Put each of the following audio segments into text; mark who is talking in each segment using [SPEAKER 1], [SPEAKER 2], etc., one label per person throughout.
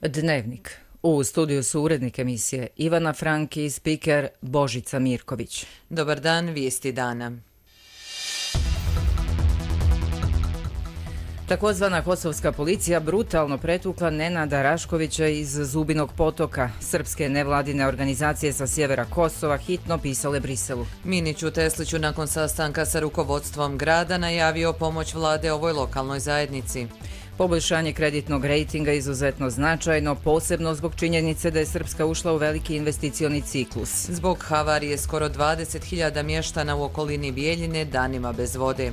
[SPEAKER 1] Dnevnik. U studiju su urednik emisije Ivana Frank i spiker Božica Mirković.
[SPEAKER 2] Dobar dan, vijesti dana.
[SPEAKER 1] Takozvana kosovska policija brutalno pretukla Nenada Raškovića iz Zubinog Potoka. Srpske nevladine organizacije sa sjevera Kosova hitno pisale Briselu.
[SPEAKER 2] Minić u Tesliću nakon sastanka sa rukovodstvom grada najavio pomoć vlade ovoj lokalnoj zajednici.
[SPEAKER 1] Poboljšanje kreditnog rejtinga izuzetno značajno, posebno zbog činjenice da je Srpska ušla u veliki investicioni ciklus.
[SPEAKER 2] Zbog havarije skoro 20.000 mještana u okolini Bijeljine danima bez vode.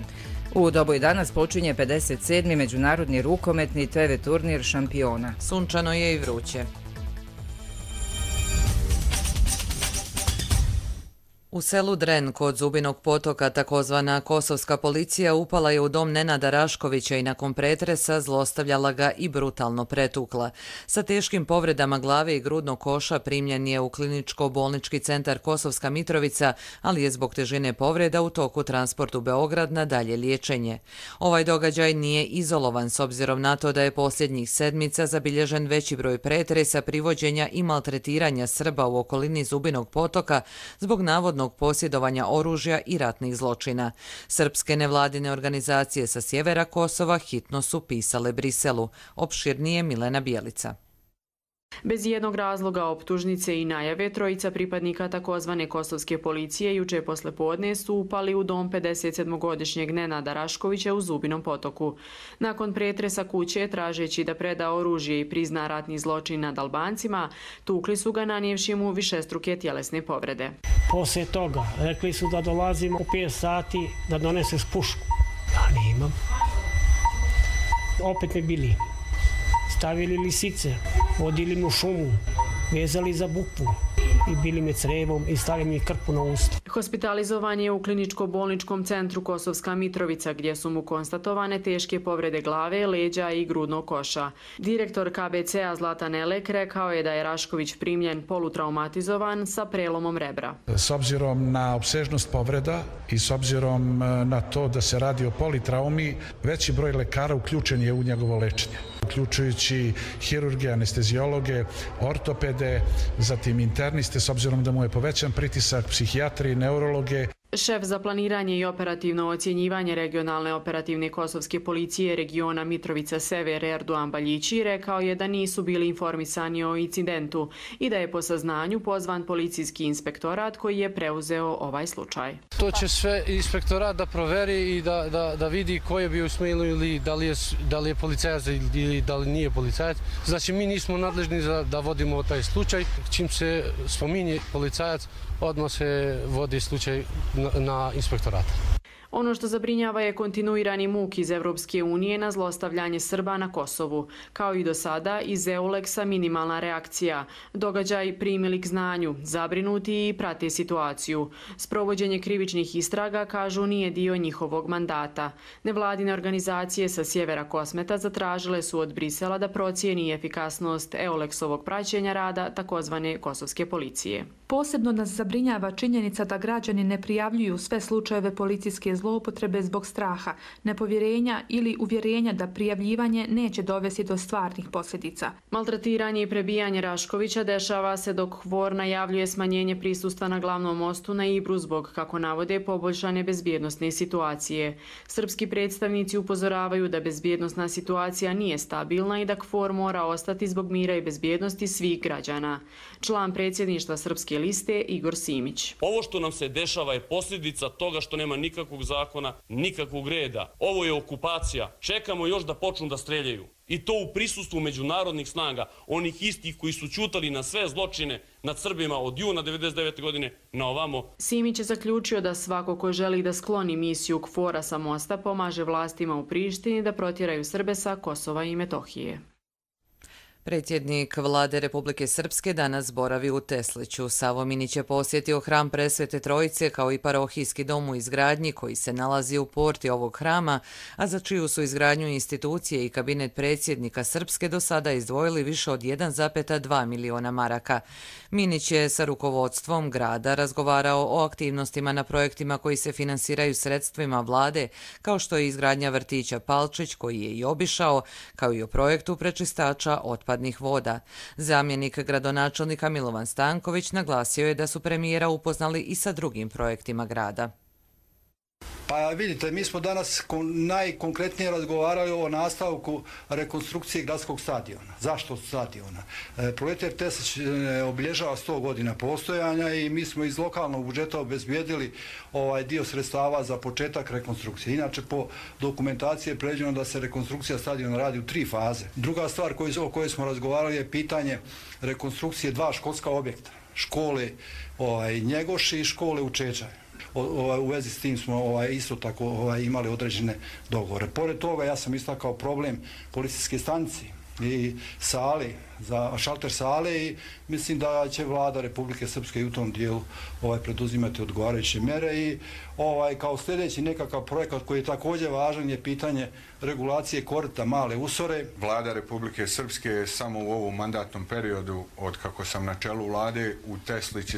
[SPEAKER 1] U Doboj danas počinje 57. međunarodni rukometni TV turnir šampiona.
[SPEAKER 2] Sunčano je i vruće. U selu Dren kod Zubinog Potoka takozvana kosovska policija upala je u dom Nenada Raškovića i nakon pretresa zlostavljala ga i brutalno pretukla. Sa teškim povredama glave i grudnog koša primljen je u kliničko-bolnički centar Kosovska Mitrovica, ali je zbog težine povreda u toku transport u Beograd na dalje liječenje. Ovaj događaj nije izolovan s obzirom na to da je posljednjih sedmica zabilježen veći broj pretresa, privođenja i maltretiranja Srba u okolini Zubinog Potoka zbog navodnog posjedovanja oružja i ratnih zločina. Srpske nevladine organizacije sa sjevera Kosova hitno su pisale Briselu. Opširnije Milena Bijelica.
[SPEAKER 3] Bez jednog razloga optužnice i najave trojica pripadnika takozvane kosovske policije juče poslepodne su upali u dom 57-godišnjeg Nenada Raškovića u Zubinom Potoku. Nakon pretresa kuće, tražeći da preda oružje i prizna ratni zločin nad Albancima, tukli su ga nanijevši mu višestruke tjelesne povrede.
[SPEAKER 4] Poslije toga rekli su da dolazimo u 5 sati da donese pušku. Ja nemam. Opet me bili. Stavili lisice, vodili me u šumu, vezali za bukvu i bili me crevom i stavili mi krpu na usta.
[SPEAKER 3] Hospitalizovan je u kliničko-bolničkom centru Kosovska Mitrovica gdje su mu konstatovane teške povrede glave, leđa i grudnog koša. Direktor KBC-a Zlatan Elek rekao je da je Rašković primljen polutraumatizovan sa prelomom rebra.
[SPEAKER 5] S obzirom na opsežnost povreda i s obzirom na to da se radi o politraumi, veći broj lekara uključen je u njegovo lečenje, uključujući hirurge, anestezijologe, ortopede, zatim interniste, s obzirom da mu je povećan pritisak, psihijatri, neurologe.
[SPEAKER 3] Šef za planiranje i operativno ocjenjivanje regionalne operativne kosovske policije regiona Mitrovica Sever Erdoğan Baljići rekao je da nisu bili informisani o incidentu i da je po saznanju pozvan policijski inspektorat koji je preuzeo ovaj slučaj.
[SPEAKER 6] To će sve inspektorat da proveri i da vidi ko je bio u smjelu ili da li je policajac ili da li nije policajac. Znači mi nismo nadležni da vodimo taj slučaj. Čim se spominje policajac, odmah se vodi slučaj na inspektorat.
[SPEAKER 3] Ono što zabrinjava je kontinuirani muk iz Evropske unije na zlostavljanje Srba na Kosovu. Kao i do sada, iz EULEX-a minimalna reakcija. Događaj primili k znanju, zabrinuti i prate situaciju. Sprovođenje krivičnih istraga, kažu, nije dio njihovog mandata. Nevladine organizacije sa sjevera Kosmeta zatražile su od Brisela da procijeni efikasnost EULEX-ovog praćenja rada takozvane kosovske policije.
[SPEAKER 7] Posebno nas zabrinjava činjenica da građani ne prijavljuju sve slučajeve policijske zloupotrebe zbog straha, nepovjerenja ili uvjerenja da prijavljivanje neće dovesti do stvarnih posljedica.
[SPEAKER 3] Maltretiranje i prebijanje Raškovića dešava se dok Hvor najavljuje smanjenje prisustva na glavnom mostu na Ibru zbog, kako navode, poboljšane bezbjednosne situacije. Srpski predstavnici upozoravaju da bezbjednosna situacija nije stabilna i da Hvor mora ostati zbog mira i bezbjednosti svih građana. Član predsjedništva Srpske liste Igor Simić.
[SPEAKER 8] Ovo što nam se dešava je posljedica toga što nema nikakvog zakona, nikakvog reda. Ovo je okupacija. Čekamo još da počnu da streljaju. I to u prisustvu međunarodnih snaga, onih istih koji su ćutali na sve zločine nad Srbima od juna 1999. godine na ovamo.
[SPEAKER 3] Simić je zaključio da svako ko želi da skloni misiju KFOR-a sa mosta pomaže vlastima u Prištini da protjeraju Srbe sa Kosova i Metohije.
[SPEAKER 2] Predsjednik vlade Republike Srpske danas boravi u Tesliću. Savo Minić je posjetio hram Presvete Trojice kao i parohijski dom u izgradnji koji se nalazi u porti ovog hrama, a za čiju su izgradnju institucije i kabinet predsjednika Srpske do sada izdvojili više od 1,2 miliona maraka. Minić je sa rukovodstvom grada razgovarao o aktivnostima na projektima koji se finansiraju sredstvima vlade, kao što je izgradnja vrtića Palčić koji je i obišao, kao i o projektu prečistača otpadnih otpadnih voda. Zamjenik gradonačelnika Milovan Stanković naglasio je da su premijera upoznali i sa drugim projektima grada.
[SPEAKER 9] Pa vidite, mi smo danas najkonkretnije razgovarali o nastavku rekonstrukcije gradskog stadiona. Zašto stadiona? Proleter Teslić obilježava 100 godina postojanja i mi smo iz lokalnog budžeta obezbijedili dio sredstava za početak rekonstrukcije. Inače, po dokumentaciji je predviđeno da se rekonstrukcija stadiona radi u 3 faze. Druga stvar o kojoj smo razgovarali je pitanje rekonstrukcije 2 školska objekta. Škole Njegoši i škole u Čečaju. U vezi s tim smo isto tako imali određene dogovore. Pored toga ja sam istakao problem policijske stanice i sale, za šalter sale i mislim da će vlada Republike Srpske i u tom dijelu preduzimati odgovarajuće mere i kao sljedeći nekakav projekat koji je također važan je pitanje regulacije korita Male Usore.
[SPEAKER 10] Vlada Republike Srpske je samo u ovom mandatnom periodu, od kako sam na čelu vlade, u Teslić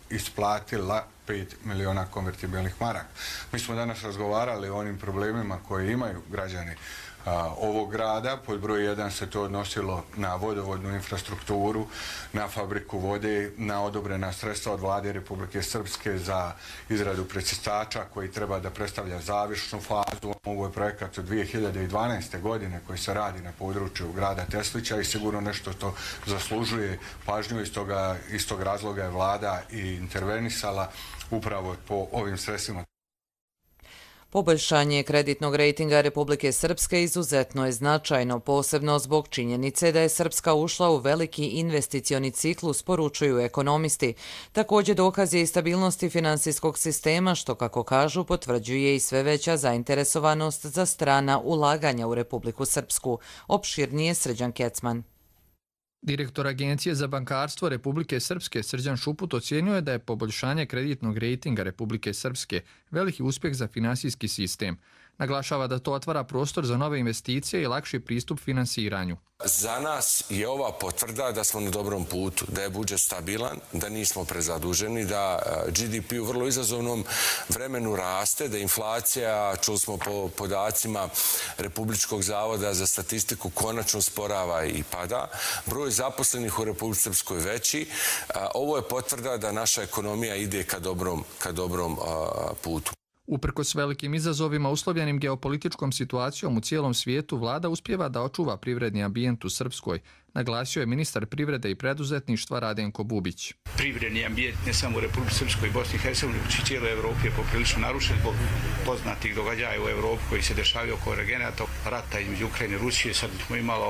[SPEAKER 10] isplatila 5 miliona konvertibilnih maraka. Mi smo danas razgovarali o onim problemima koje imaju građani ovog grada. Pod broj 1 se to odnosilo na vodovodnu infrastrukturu, na fabriku vode, na odobrena sredstva od vlade Republike Srpske za izradu prečistača koji treba da predstavlja završnu fazu. Ovo je projekat od 2012. godine koji se radi na području grada Teslića i sigurno nešto što zaslužuje pažnju. Iz tog razloga je vlada i intervenisala upravo po ovim sredstvima.
[SPEAKER 2] Poboljšanje kreditnog rejtinga Republike Srpske izuzetno je značajno, posebno zbog činjenice da je Srpska ušla u veliki investicioni ciklus, poručuju ekonomisti. Također dokaz je i stabilnosti finansijskog sistema, što, kako kažu, potvrđuje i sve veća zainteresovanost za strana ulaganja u Republiku Srpsku. Opširnije Srđan Kecman.
[SPEAKER 11] Direktor Agencije za bankarstvo Republike Srpske Srđan Šuput ocijenio je da je poboljšanje kreditnog rejtinga Republike Srpske veliki uspjeh za finansijski sistem. Naglašava da to otvara prostor za nove investicije i lakši pristup finansiranju.
[SPEAKER 12] Za nas je ova potvrda da smo na dobrom putu, da je budžet stabilan, da nismo prezaduženi, da GDP u vrlo izazovnom vremenu raste, da inflacija, čuli smo po podacima Republičkog zavoda za statistiku, konačno sporava i pada. Broj zaposlenih u Republici Srpskoj veći. Ovo je potvrda da naša ekonomija ide ka dobrom putu.
[SPEAKER 11] Uprkos velikim izazovima uslovljenim geopolitičkom situacijom u cijelom svijetu, vlada uspijeva da očuva privredni ambijent u Srpskoj, naglasio je ministar privrede i preduzetništva Radenko Bubić.
[SPEAKER 13] Privredni ambijent ne samo u Republici Srpskoj i Bosni i Hercegovini, već i cijeloj Evropi je poprilično narušen zbog poznatih događaja u Evropi koji se dešavaju oko energenata, rata između Ukrajine i Rusije. Sad smo imali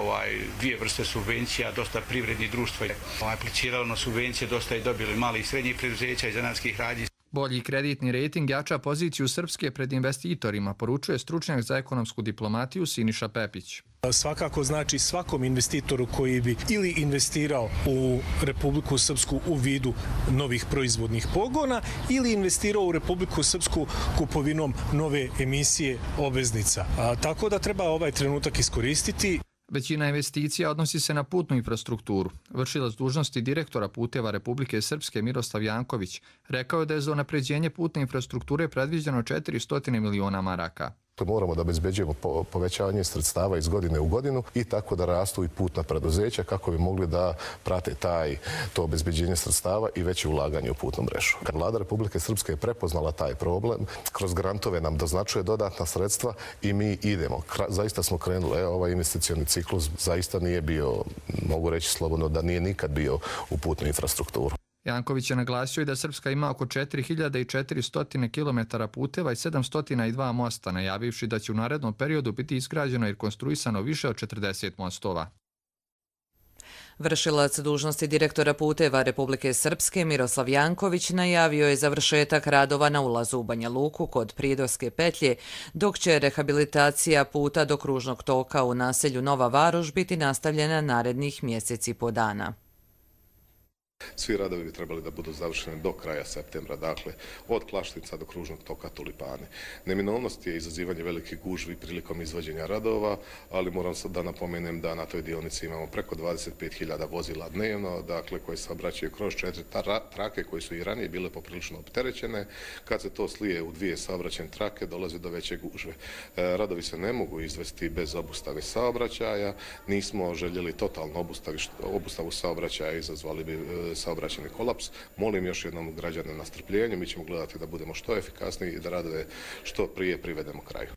[SPEAKER 13] 2 vrste subvencija, dosta privrednih društva je apliciralo na subvencije, dosta je dobili mali i srednjih preduzeća i zanatskih radnji.
[SPEAKER 11] Bolji kreditni rejting jača poziciju Srpske pred investitorima, poručuje stručnjak za ekonomsku diplomatiju Siniša Pepić.
[SPEAKER 14] Svakako znači svakom investitoru koji bi ili investirao u Republiku Srpsku u vidu novih proizvodnih pogona ili investirao u Republiku Srpsku kupovinom nove emisije obveznica. Tako da treba ovaj trenutak iskoristiti.
[SPEAKER 11] Većina investicija odnosi se na putnu infrastrukturu. Vršilac dužnosti direktora puteva Republike Srpske Miroslav Janković rekao je da je za unapređenje putne infrastrukture predviđeno 400 miliona maraka.
[SPEAKER 15] Moramo da obezbeđujemo povećanje sredstava iz godine u godinu i tako da rastu i putna preduzeća kako bi mogli da prate to obezbeđenje sredstava i veće ulaganje u putnu mrežu. Kad vlada Republike Srpske je prepoznala taj problem, kroz grantove nam doznačuje dodatna sredstva i mi idemo. Zaista smo krenuli. Ovaj investicioni ciklus zaista nije bio, mogu reći slobodno, da nije nikad bio u putnu infrastrukturu.
[SPEAKER 11] Janković je naglasio i da Srpska ima oko 4400 km puteva i 702 mosta, najavivši da će u narednom periodu biti izgrađeno i konstruisano više od 40 mostova.
[SPEAKER 2] Vršilac dužnosti direktora puteva Republike Srpske Miroslav Janković najavio je završetak radova na ulazu u Banja Luku kod Pridorske petlje, dok će rehabilitacija puta do kružnog toka u naselju Nova Varoš biti nastavljena narednih mjeseci po dana.
[SPEAKER 15] Svi radovi bi trebali da budu završeni do kraja septembra, dakle od Klaštica do kružnog toka Tulipane. Neminovnost je izazivanje velikih gužvi prilikom izvođenja radova, ali moram sad da napomenem da na toj dionici imamo preko 25.000 vozila dnevno, dakle koji se obraćaju kroz 4 trake koje su i ranije bile poprilično opterećene. Kad se to slije u 2 saobraćajne trake dolazi do veće gužve. Radovi se ne mogu izvesti bez obustave saobraćaja. Nismo željeli totalno obustavu saobraćaja, izazvali bi saobraćajni kolaps. Molim još jednom građane na strpljenje, mi ćemo gledati da budemo što efikasniji i da radove što prije privedemo kraju.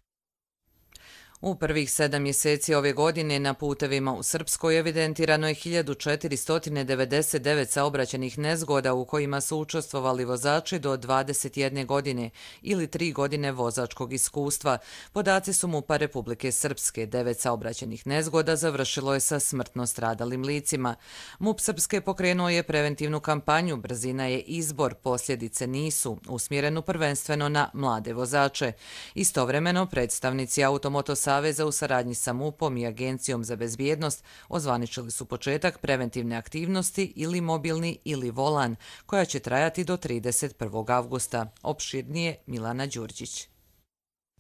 [SPEAKER 2] U prvih 7 mjeseci ove godine na putevima u Srpskoj evidentirano je 1499 saobraćajnih nezgoda u kojima su učestvovali vozači do 21 godine ili 3 godine vozačkog iskustva. Podaci su MUP-a Republike Srpske. 9 saobraćajnih nezgoda završilo je sa smrtno stradalim licima. MUP Srpske pokrenuo je preventivnu kampanju "Brzina je izbor, posljedice nisu", usmjerenu prvenstveno na mlade vozače. Istovremeno, predstavnici Automoto Saveza u saradnji sa MUP-om i Agencijom za bezbjednost ozvaničili su početak preventivne aktivnosti ili mobilni ili volan, koja će trajati do 31. avgusta. Opširnije Milana Đurđić.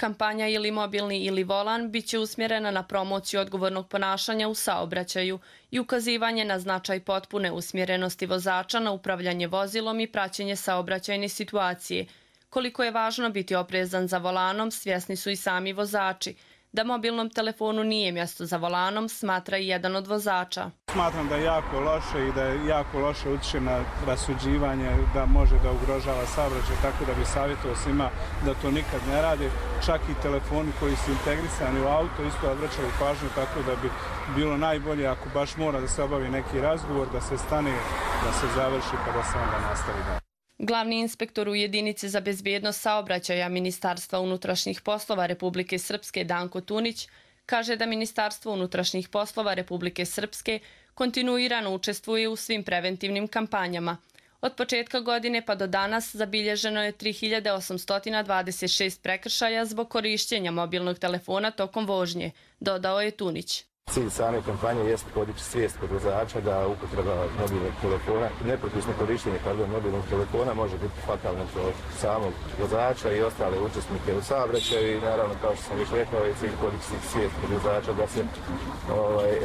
[SPEAKER 16] Kampanja ili mobilni ili volan bit će usmjerena na promociju odgovornog ponašanja u saobraćaju i ukazivanje na značaj potpune usmjerenosti vozača na upravljanje vozilom i praćenje saobraćajne situacije. Koliko je važno biti oprezan za volanom, svjesni su i sami vozači. Da mobilnom telefonu nije mjesto za volanom, smatra i jedan od vozača.
[SPEAKER 17] Smatram da je jako loše i da je jako loše utječe na rasuđivanje, da može da ugrožava saobraćaj, tako da bi savjetovao svima da to nikad ne rade. Čak i telefoni koji su integrisani u auto isto odvraćaju pažnju, tako da bi bilo najbolje ako baš mora da se obavi neki razgovor, da se stane, da se završi pa da se onda nastavi dalje.
[SPEAKER 16] Glavni inspektor u jedinici za bezbjednost saobraćaja Ministarstva unutrašnjih poslova Republike Srpske Danko Tunić kaže da Ministarstvo unutrašnjih poslova Republike Srpske kontinuirano učestvuje u svim preventivnim kampanjama. Od početka godine pa do danas zabilježeno je 3826 prekršaja zbog korištenja mobilnog telefona tokom vožnje, dodao je Tunić.
[SPEAKER 18] Cilj same kampanje jeste podići svijest kod vozača da upotreba mobilnog telefona, nepropisno korištenje mobilnog telefona može biti fatalno za samog vozača i ostale učesnike u saobraćaju i naravno, kao što sam već rekao, je cilj podići svijest kod vozača da se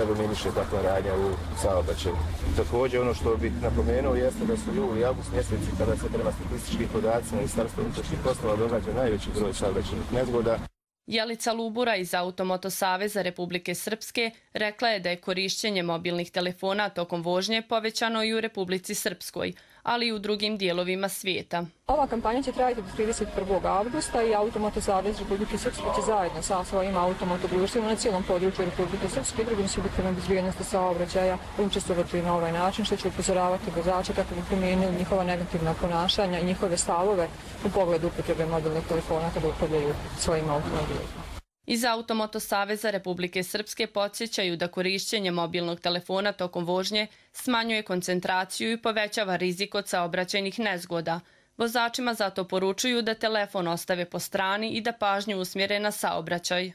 [SPEAKER 18] eliminiše takva radnja u saobraćaju. Također, ono što bih napomenuo jeste da su juli i avgust mjeseci kada se prema statističkim podacima Ministarstva unutrašnjih poslova događa najveći broj saobraćajnih nezgoda.
[SPEAKER 16] Jelica Lubura iz Automoto Saveza Republike Srpske rekla je da je korištenje mobilnih telefona tokom vožnje povećano i u Republici Srpskoj, ali i u drugim dijelovima svijeta.
[SPEAKER 19] Ova kampanja će trajati do 31. avgusta i Automoto Savez Republike Srpske će zajedno sa svojim automotodruštvima na cijelom području Republike Srpske i drugim subjektima bezbjednosti saobraćaja učestvovati na ovaj način, što će upozoravati vozače kako bi promijenili njihova negativna ponašanja i njihove stavove u pogledu upotrebe mobilnih telefona kada upravljaju svojim automobilima.
[SPEAKER 16] Iz Automoto Saveza Republike Srpske podsjećaju da korištenje mobilnog telefona tokom vožnje smanjuje koncentraciju i povećava rizik od saobraćajnih nezgoda. Vozačima zato poručuju da telefon ostave po strani i da pažnju usmjere na saobraćaj.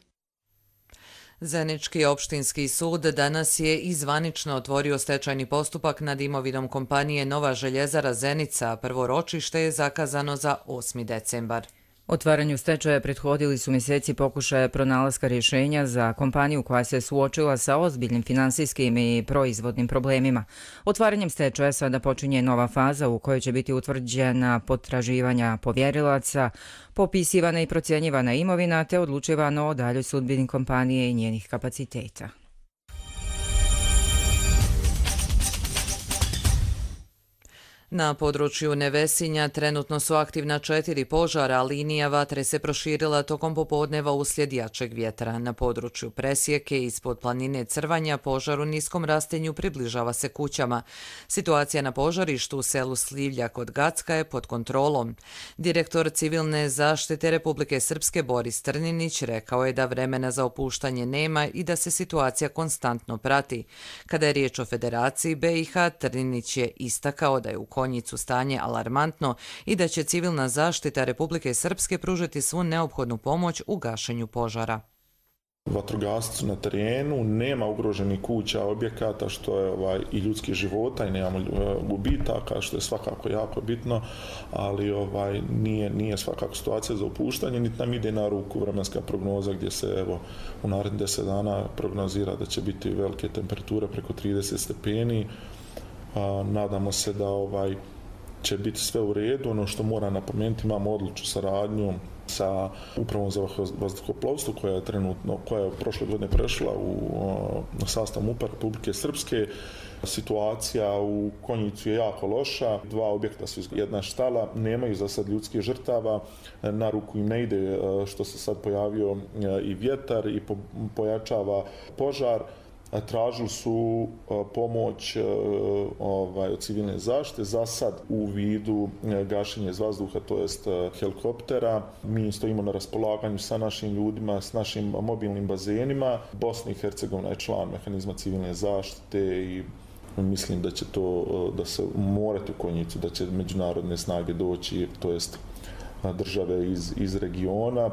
[SPEAKER 2] Zenički opštinski sud danas je i zvanično otvorio stečajni postupak nad imovinom kompanije Nova željezara Zenica. Prvo ročište je zakazano za 8. decembar.
[SPEAKER 1] Otvaranju stečaja prethodili su mjeseci pokušaja pronalaska rješenja za kompaniju koja se suočila sa ozbiljnim finansijskim i proizvodnim problemima. Otvaranjem stečaja sada počinje nova faza u kojoj će biti utvrđena potraživanja povjerilaca, popisivana i procjenjivana imovina te odlučivano o daljoj sudbini kompanije i njenih kapaciteta.
[SPEAKER 2] Na području Nevesinja trenutno su aktivna 4 požara, a linija vatre se proširila tokom popodneva uslijed jačeg vjetra. Na području Presjeke ispod planine Crvanja požar u niskom rastenju približava se kućama. Situacija na požarištu u selu Slivlja kod Gacka je pod kontrolom. Direktor civilne zaštite Republike Srpske Boris Trninić rekao je da vremena za opuštanje nema i da se situacija konstantno prati. Kada je riječ o Federaciji BiH, Trninić je istakao da je u Konjicu stanje alarmantno i da će civilna zaštita Republike Srpske pružiti svu neophodnu pomoć u gašenju požara.
[SPEAKER 20] Vatrogasci na terenu, nema ugroženih kuća, objekata, što je i ljudskih života i nemamo gubitaka, što je svakako jako bitno, ali nije svakako situacija za opuštanje, niti nam ide na ruku vremenska prognoza gdje se u narednih 10 dana prognozira da će biti velike temperature preko 30 stepeni. Nadamo se da će biti sve u redu. Ono što moram napomenuti, imamo odlučnu saradnju sa Upravom za vazduhoplovstvo koja je prošle godine prešla u sastav MUP-a Republike Srpske. Situacija u Konjicu je jako loša, 2 objekta su, jedna štala, nemaju za sad ljudskih žrtava, na ruku im ne ide što se sad pojavio i vjetar i pojačava požar. Tražili su pomoć od civilne zaštite, za sad u vidu gašenja iz vazduha, to jest helikoptera. Mi stojimo na raspolaganju sa našim ljudima, s našim mobilnim bazenima. Bosna i Hercegovina je član mehanizma civilne zaštite i mislim da će da se morati u Konjicu, da će međunarodne snage doći, to jest države iz regiona.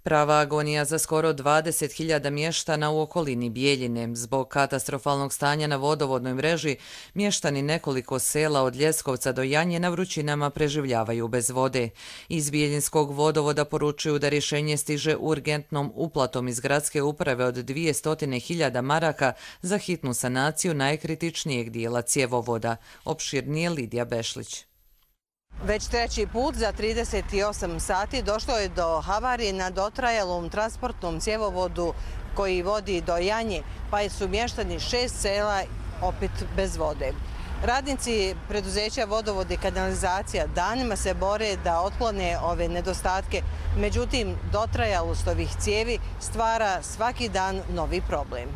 [SPEAKER 2] Prava agonija za skoro 20.000 mještana u okolini Bijeljine. Zbog katastrofalnog stanja na vodovodnoj mreži, mještani nekoliko sela od Ljeskovca do Janje na vrućinama preživljavaju bez vode. Iz Bijeljinskog vodovoda poručuju da rješenje stiže urgentnom uplatom iz gradske uprave od 200.000 maraka za hitnu sanaciju najkritičnijeg dijela cjevovoda. Opširnije Lidija Bešlić.
[SPEAKER 21] Već treći put za 38 sati došlo je do havarije na dotrajalom transportnom cjevovodu koji vodi do Janje, pa su mještani 6 sela opet bez vode. Radnici preduzeća Vodovod i kanalizacija danima se bore da otklone ove nedostatke, međutim dotrajalost ovih cijevi stvara svaki dan novi problem.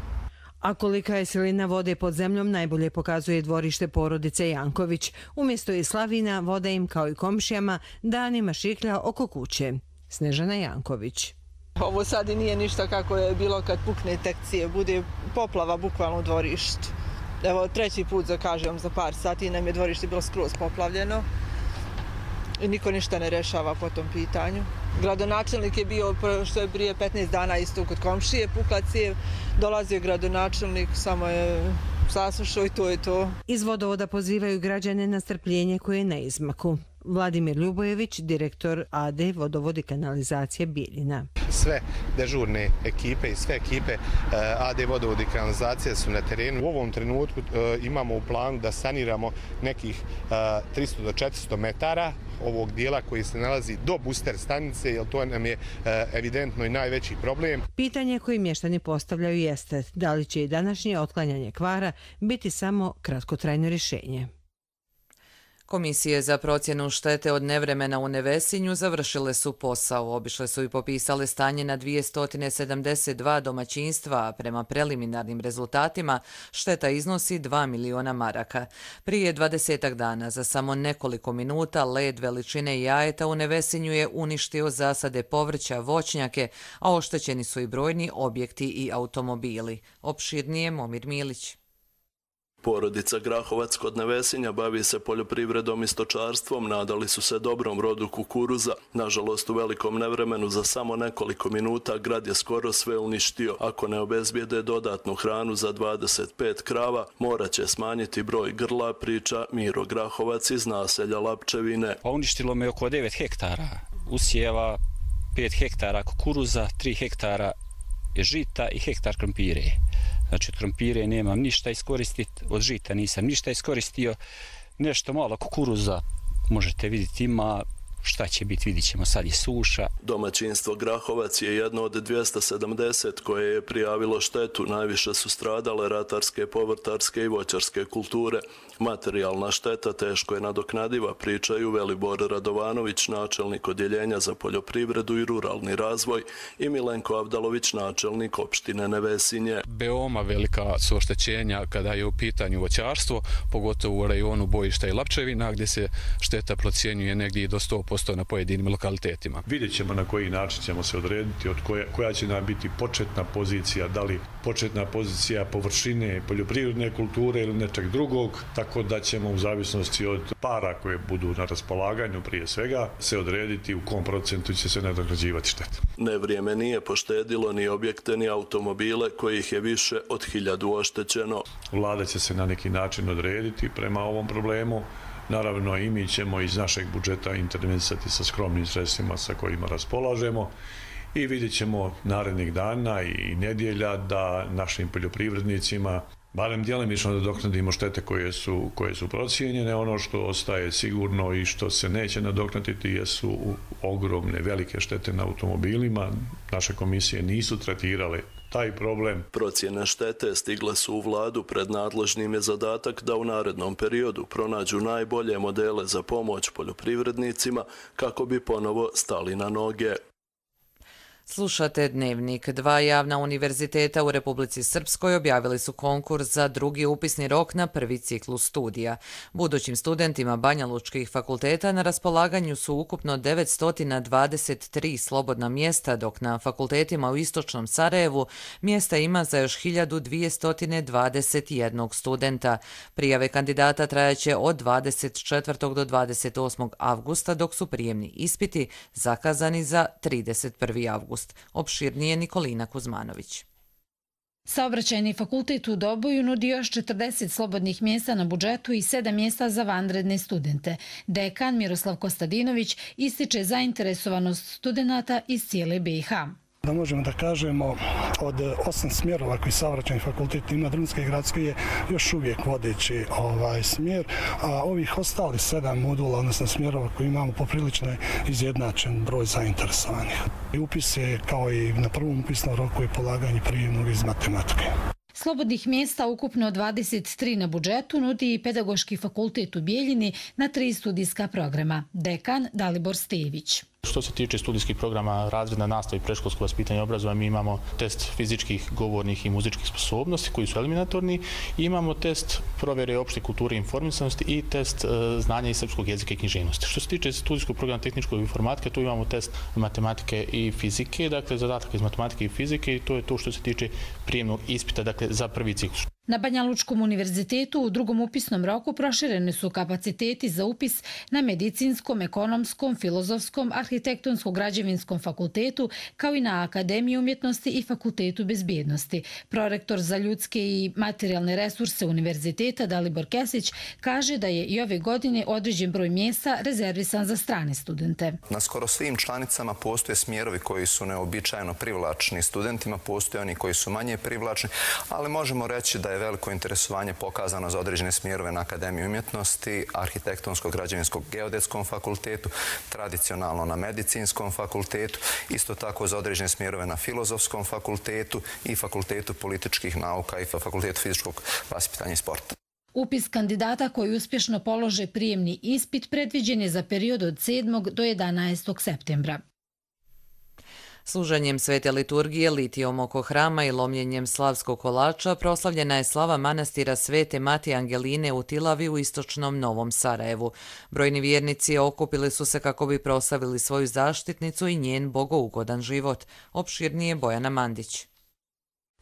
[SPEAKER 21] A kolika je silina vode pod zemljom najbolje pokazuje dvorište porodice Janković. Umjesto i slavina, voda im kao i komšijama danima šiklja oko kuće. Snežana Janković.
[SPEAKER 22] Ovo sad i nije ništa kako je bilo kad pukne tekcije. Bude poplava bukvalno u dvorištu. Evo treći put kažem za par sati nam je dvorište bilo skroz poplavljeno. I niko ništa ne rešava po tom pitanju. Gradonačelnik je bio, što je prije 15 dana isto kod komšije, pukla cijev, dolazio gradonačelnik, samo je saslušao i to je to. Iz vodovoda pozivaju građane na strpljenje koje je na izmaku. Vladimir Ljubojević, direktor AD Vodovod i kanalizacije Bijeljina.
[SPEAKER 23] Sve dežurne ekipe i sve ekipe AD Vodovod i kanalizacije su na terenu. U ovom trenutku imamo u planu da saniramo nekih 300 do 400 metara ovog dijela koji se nalazi do booster stanice, jer to nam je evidentno i najveći problem.
[SPEAKER 21] Pitanje koje mještani postavljaju jeste da li će i današnje otklanjanje kvara biti samo kratkotrajno rješenje. Komisije za procjenu štete od nevremena u Nevesinju završile su posao. Obišle su i popisale stanje na 272 domaćinstva, a prema preliminarnim rezultatima šteta iznosi 2 miliona maraka. Prije 20 dana, za samo nekoliko minuta, led veličine jajeta u Nevesinju je uništio zasade povrća, voćnjake, a oštećeni su i brojni objekti i automobili. Opširnije Momir Milić.
[SPEAKER 24] Porodica Grahovac kod Nevesinja bavi se poljoprivredom i stočarstvom, nadali su se dobrom rodu kukuruza. Nažalost, u velikom nevremenu za samo nekoliko minuta grad je skoro sve uništio. Ako ne obezbijede dodatnu hranu za 25 krava, morat će smanjiti broj grla, priča Miro Grahovac iz naselja Lapčevine.
[SPEAKER 25] Uništilo me oko 9 hektara usjeva, 5 hektara kukuruza, 3 hektara žita i hektar krompire. Znači od krompire nemam ništa iskoristiti, od žita nisam ništa iskoristio, nešto malo kukuruza možete vidjeti ima, šta će biti vidit ćemo, sad je suša.
[SPEAKER 24] Domaćinstvo Grahovac je jedno od 270 koje je prijavilo štetu, najviše su stradale ratarske, povrtarske i voćarske kulture. Materijalna šteta teško je nadoknadiva, pričaju Velibor Radovanović, načelnik odjeljenja za poljoprivredu i ruralni razvoj, i Milenko Avdalović, načelnik opštine Nevesinje.
[SPEAKER 26] Veoma velika su oštećenja kada je u pitanju voćarstvo, pogotovo u rajonu Bojišta i Lapčevina, gdje se šteta procjenjuje negdje do 100%. 10% na pojedinim lokalitetima.
[SPEAKER 3] Vidjet ćemo na koji način ćemo se odrediti, od koja će nam biti početna pozicija, da li početna pozicija površine poljoprivredne kulture ili nečeg drugog, tako da ćemo u zavisnosti od para koje budu na raspolaganju prije svega se odrediti u kom procentu će se nadoknađivati šteta.
[SPEAKER 24] Nevrijeme nije poštedilo ni objekte ni automobile kojih je više od 1000 oštećeno.
[SPEAKER 3] Vlada će se na neki način odrediti prema ovom problemu. Naravno i mi ćemo iz našeg budžeta intervenisati sa skromnim sredstvima sa kojima raspolažemo i vidjet ćemo narednih dana i nedjelja da našim poljoprivrednicima barem djelomično nadoknadimo štete koje su procijenjene. Ono što ostaje sigurno i što se neće nadoknaditi jesu ogromne, velike štete na automobilima. Naše komisije nisu tretirale taj problem.
[SPEAKER 24] Procjene štete stigle su u vladu, pred nadležnim je zadatak da u narednom periodu pronađu najbolje modele za pomoć poljoprivrednicima kako bi ponovo stali na noge.
[SPEAKER 2] Slušate Dnevnik. 2 javna univerziteta u Republici Srpskoj objavili su konkurs za drugi upisni rok na prvi ciklus studija. Budućim studentima banjalučkih fakulteta na raspolaganju su ukupno 923 slobodna mjesta, dok na fakultetima u istočnom Sarajevu mjesta ima za još 1221 studenta. Prijave kandidata trajaće od 24. do 28. avgusta, dok su prijemni ispiti zakazani za 31. avgust. Opširnije Nikolina Kuzmanović.
[SPEAKER 4] Saobraćajni fakultet u Doboju nudi još 40 slobodnih mjesta na budžetu i 7 mjesta za vanredne studente. Dekan Miroslav Kostadinović ističe zainteresovanost studenata iz cijele BiH.
[SPEAKER 5] Da možemo da kažemo, od 8 smjerova koji saobraćajni fakultet ima, drumski i gradski je još uvijek vodeći smjer, a ovih ostali 7 modula, odnosno smjerova koji imamo, poprilično je izjednačen broj zainteresovanih. Upis je kao i na prvom upisnom roku i polaganje prijemnog iz matematike.
[SPEAKER 4] Slobodnih mjesta ukupno 23 na budžetu nudi i Pedagoški fakultet u Bijeljini na 3 studijska programa. Dekan Dalibor Stević.
[SPEAKER 6] Što se tiče studijskih programa razredna nastava i predškolsko vaspitanje i obrazovanje, mi imamo test fizičkih, govornih i muzičkih sposobnosti koji su eliminatorni i imamo test provjere opšte kulture i informisanosti i test znanja iz srpskog jezika i književnosti. Što se tiče studijskog programa tehničkog informatike, tu imamo test matematike i fizike, dakle zadatak iz matematike i fizike i to je to što se tiče prijemnog ispita, dakle za prvi ciklus.
[SPEAKER 4] Na Banjalučkom univerzitetu u drugom upisnom roku prošireni su kapaciteti za upis na medicinskom, ekonomskom, filozofskom, arhitektonsko-građevinskom fakultetu, kao i na Akademiji umjetnosti i Fakultetu bezbjednosti. Prorektor za ljudske i materijalne resurse univerziteta Dalibor Kesić kaže da je i ove godine određen broj mjesta rezervisan za strane studente.
[SPEAKER 7] Na skoro svim članicama postoje smjerovi koji su neobičajno privlačni studentima, postoje oni koji su manje privlačni, ali možemo reći da je veliko interesovanje pokazano za određene smjerove na Akademiji umjetnosti, arhitektonsko-građevinskog geodetskom fakultetu, tradicionalno na medicinskom fakultetu, isto tako za određene smjerove na filozofskom fakultetu i fakultetu političkih nauka i fakultetu fizičkog vaspitanja i sporta.
[SPEAKER 4] Upis kandidata koji uspješno polože prijemni ispit predviđen je za period od 7. do 11. septembra.
[SPEAKER 2] Služenjem svete liturgije, litijom oko hrama i lomljenjem slavskog kolača proslavljena je slava manastira Svete Matije Angeline u Tilavi u istočnom Novom Sarajevu. Brojni vjernici okupili su se kako bi proslavili svoju zaštitnicu i njen bogougodan život. Opširnije Bojana Mandić.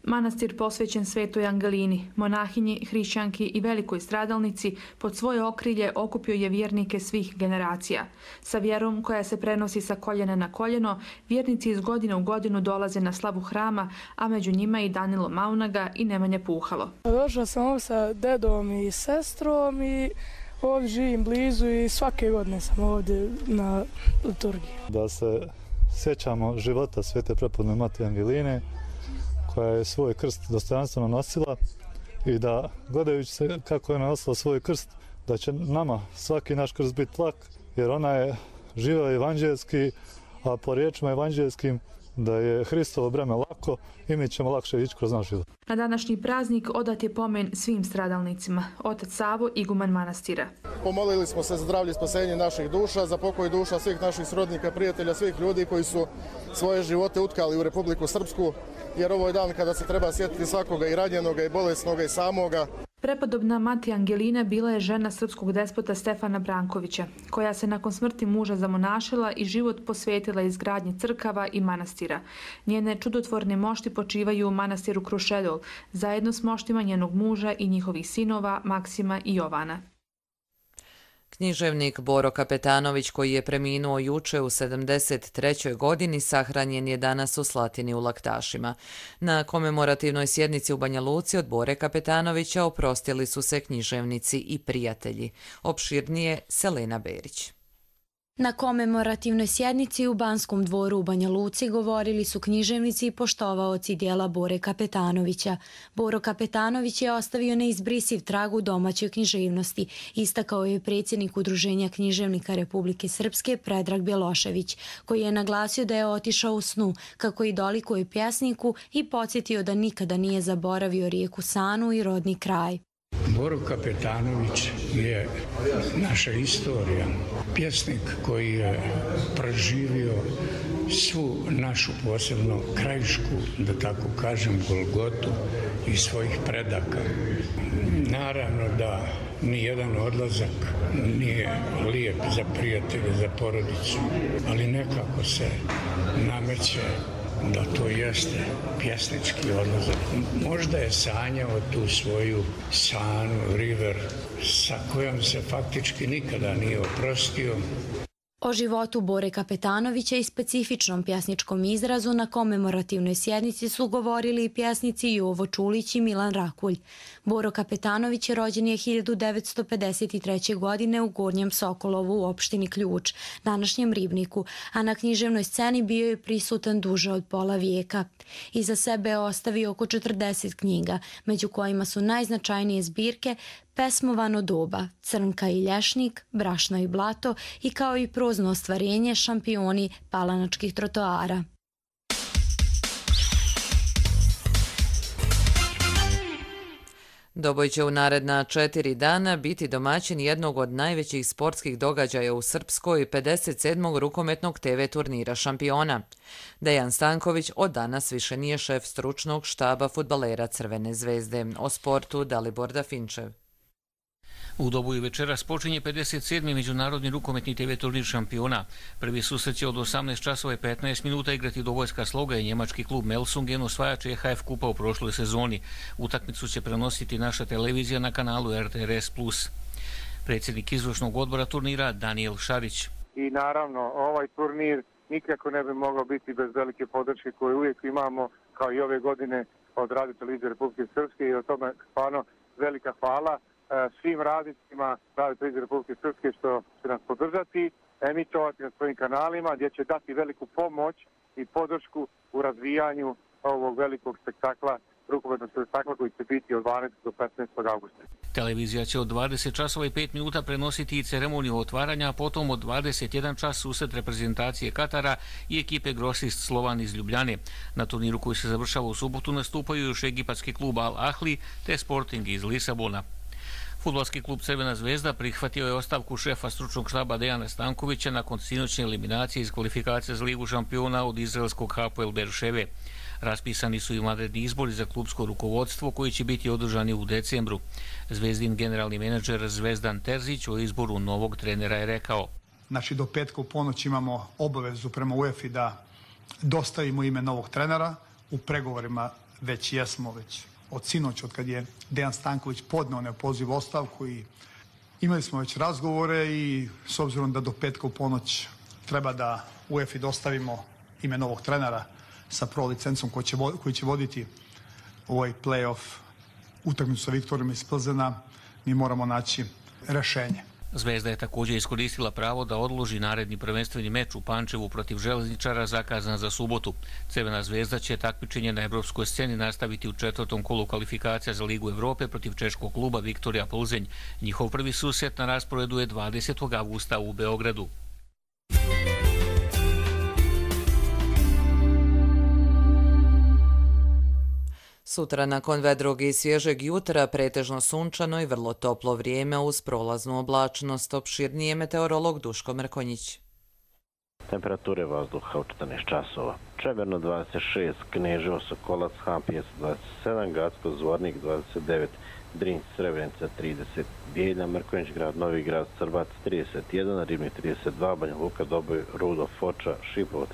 [SPEAKER 8] Manastir posvećen Svetoj Angelini, monahinji, hrišćanki i velikoj stradalnici, pod svoje okrilje okupio je vjernike svih generacija. Sa vjerom koja se prenosi sa koljena na koljeno, vjernici iz godine u godinu dolaze na slavu hrama, a među njima i Danilo Maunaga i Nemanja Puhalo.
[SPEAKER 27] Došla sam ovdje sa dedom i sestrom i ovdje živim blizu i svake godine sam ovdje na liturgiji.
[SPEAKER 28] Da se sjećamo života Svete prepodne Matije Angeline, koja je svoj krst dostojanstveno nosila i da, gledajući se kako je nosila svoj krst, da će nama svaki naš krst biti lak, jer ona je živjela evanđelski, a po riječima evanđelskim da je Hristovo breme lako i mi ćemo lakše ići kroz naš život.
[SPEAKER 8] Na današnji praznik odat je pomen svim stradalnicima, otac Savo, iguman manastira.
[SPEAKER 29] Pomolili smo se za zdravlje i spasenje naših duša, za pokoj duša svih naših srodnika, prijatelja, svih ljudi koji su svoje živote utkali u Republiku Srpsku, jer ovo je dan kada se treba sjetiti svakoga i ranjenoga i bolesnoga i samoga.
[SPEAKER 8] Prepodobna mati Angelina bila je žena srpskog despota Stefana Brankovića, koja se nakon smrti muža zamonašila i život posvetila izgradnji crkava i manastira. Njene čudotvorne mošti počivaju u manastiru Krušedol, zajedno s moštima njenog muža i njihovih sinova Maksima i Jovana.
[SPEAKER 2] Književnik Boro Kapetanović, koji je preminuo juče u 73. godini, sahranjen je danas u Slatini u Laktašima. Na komemorativnoj sjednici u Banja Luci od Bore Kapetanovića oprostili su se književnici i prijatelji. Opširnije Selena Berić.
[SPEAKER 9] Na komemorativnoj sjednici u Banskom dvoru u Banja Luci govorili su književnici i poštovaoci dijela Bore Kapetanovića. Boro Kapetanović je ostavio neizbrisiv trag u domaćoj književnosti, istakao je predsjednik Udruženja književnika Republike Srpske Predrag Bjelošević, koji je naglasio da je otišao u snu, kako i dolikuje pjesniku, i podsjetio da nikada nije zaboravio rijeku Sanu i rodni kraj.
[SPEAKER 10] Boro Kapetanović je naša istorija, pjesnik koji je preživio svu našu, posebno krajišku, da tako kažem, golgotu iz svojih predaka. Naravno da nijedan odlazak nije lijep za prijatelje, za porodicu, ali nekako se nameće da to jeste pjesnički odlazak. Možda je sanjao tu svoju Sanu, river, sa kojom se faktički nikada nije oprostio.
[SPEAKER 9] O životu Bore Kapetanovića i specifičnom pjesničkom izrazu na komemorativnoj sjednici su govorili i pjesnici Jovo Čulić i Milan Rakulj. Boro Kapetanović rođen je 1953. godine u Gornjem Sokolovu u opštini Ključ, današnjem Ribniku, a na književnoj sceni bio je prisutan duže od pola vijeka. Iza sebe je ostavio oko 40 knjiga, među kojima su najznačajnije zbirke Pesmovano doba, Crnka i lješnik, Brašno i blato i kao i prozno ostvarenje Šampioni palanačkih trotoara.
[SPEAKER 2] Doboj će u naredna 4 dana biti domaćin jednog od najvećih sportskih događaja u Srpskoj, 57. rukometnog TV turnira Šampiona. Dejan Stanković od danas više nije šef stručnog štaba fudbalera Crvene zvezde. O sportu Dalibor Dafinčev.
[SPEAKER 11] U Doboju večeras počinje 57. međunarodni rukometni TV turnir Šampiona. Prvi susret će od 18 časova i 15 minuta igrati Dobojska Sloga i njemački klub Melsungen, osvajač EHF kupa u prošloj sezoni. Utakmicu će prenositi naša televizija na kanalu RTRS+. Predsjednik izvršnog odbora turnira Daniel Šarić.
[SPEAKER 12] I naravno, ovaj turnir nikako ne bi mogao biti bez velike podrške koju uvijek imamo, kao i ove godine, od Radio televizije Republike Srpske, i o tome stvarno velika hvala svim radnicima Radio televizije Republike Srpske što će nas podržati, emitovati na svojim kanalima, gdje će dati veliku pomoć i podršku u razvijanju ovog velikog spektakla, rukometnog spektakla koji će biti od 12. do 15. augusta.
[SPEAKER 11] Televizija će od 20 časova i 5 minuta prenositi i ceremoniju otvaranja, a potom od 21 čas susret reprezentacije Katara i ekipe Grosist Slovan iz Ljubljane. Na turniru koji se završava u subotu nastupaju još egipatski klub Al Ahli te Sporting iz Lisabona. Fudbalski klub Crvena zvezda prihvatio je ostavku šefa stručnog štaba Dejana Stankovića nakon sinoćne eliminacije iz kvalifikacije za Ligu šampiona od izraelskog Hapoel Berševe. Raspisani su i vanredni izbori za klubsko rukovodstvo koji će biti održani u decembru. Zvezdin generalni menadžer Zvezdan Terzić o izboru novog trenera je rekao:
[SPEAKER 13] Znači, do petka u ponoć imamo obavezu prema UEFA da dostavimo ime novog trenera. U pregovorima već jesmo, od sinoć, od kad je Dejan Stanković podneo neopoziv ostavku, i imali smo već razgovore, i s obzirom da do petka u ponoć treba da UEFA dostavimo ime novog trenera sa pro licencom koji će voditi ovaj play-off utakmicu sa Viktorijom iz Plzena, mi moramo naći rešenje.
[SPEAKER 11] Zvezda je također iskoristila pravo da odloži naredni prvenstveni meč u Pančevu protiv Železničara zakazan za subotu. Crvena zvezda će takmičenje na evropskoj sceni nastaviti u 4. kolu kvalifikacija za Ligu Evrope protiv češkog kluba Viktorija Plzenj. Njihov prvi susret na rasporedu je 20. avgusta u Beogradu.
[SPEAKER 2] Sutra nakon vedrog i svježeg jutra pretežno sunčano i vrlo toplo vrijeme uz prolaznu oblačnost. Opširnije meteorolog Duško Mrkonjić.
[SPEAKER 14] Temperature vazduha u 14 časova. Čemerno 26, Kneževo, Sokolac, Hampijes 27, Gacko, Zvornik 29, Drinć, Srebrenica 30, Bijeljna, Mrkonjić grad, Novi grad, Srbac 31, Ribnik 32, Banja Luka, Doboj, Rudo, Foča, Šipovo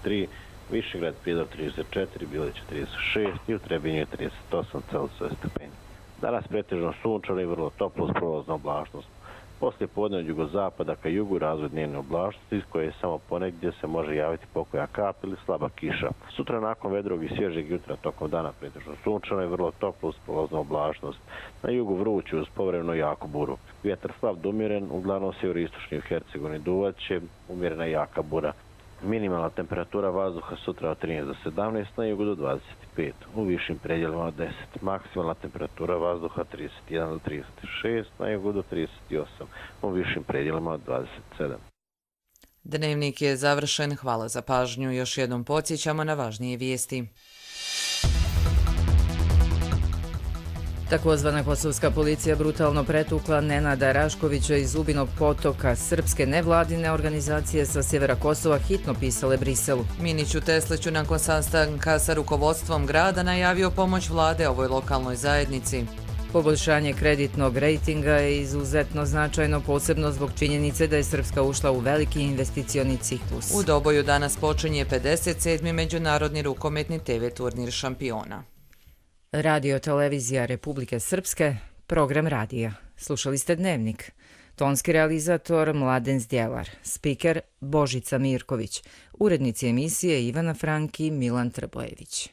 [SPEAKER 14] 33, Višegrad, Prijedor 34, Bilić 36 i u Trebinju je 38 Celsiusove stepeni. Danas pretežno sunčano i vrlo toplo uz prolaznu oblačnost. Poslije podne od jugozapada ka jugu razvoj dnevne oblačnosti iz koje samo ponegdje se može javiti pokoja kap ili slaba kiša. Sutra nakon vedrog i svježeg jutra tokom dana pretežno sunčano i vrlo toplo uz prolaznu oblačnost. Na jugu vrući uz povremeno jaku buru. Vjetar slab do umjeren, uglavnom sjeveroistočni u Hercegovini duvat će, umjerena jaka bura. Minimalna temperatura vazduha sutra od 13 do 17, na jugu do 25, u višim predjelima od 10. Maksimalna temperatura vazduha 31 do 36, na jugu do 38, u višim predjelima od 27.
[SPEAKER 2] Dnevnik je završen, hvala za pažnju. Još jednom podsjećamo na važnije vijesti.
[SPEAKER 1] Takozvana kosovska policija brutalno pretukla Nenada Raškovića iz Zubinog Potoka. Srpske nevladine organizacije sa sjevera Kosova hitno pisale Briselu.
[SPEAKER 2] Miniću Tesliću nakon sastanka sa rukovodstvom grada najavio pomoć vlade ovoj lokalnoj zajednici.
[SPEAKER 1] Poboljšanje kreditnog rejtinga je izuzetno značajno, posebno zbog činjenice da je Srpska ušla u veliki investicioni ciklus.
[SPEAKER 2] U Doboju danas počinje 57. međunarodni rukometni TV turnir šampiona.
[SPEAKER 1] Radio televizija Republike Srpske, program radija. Slušali ste Dnevnik. Tonski realizator Mladen Zdjelar, spiker Božica Mirković, urednici emisije Ivana Franki, Milan Trbojević.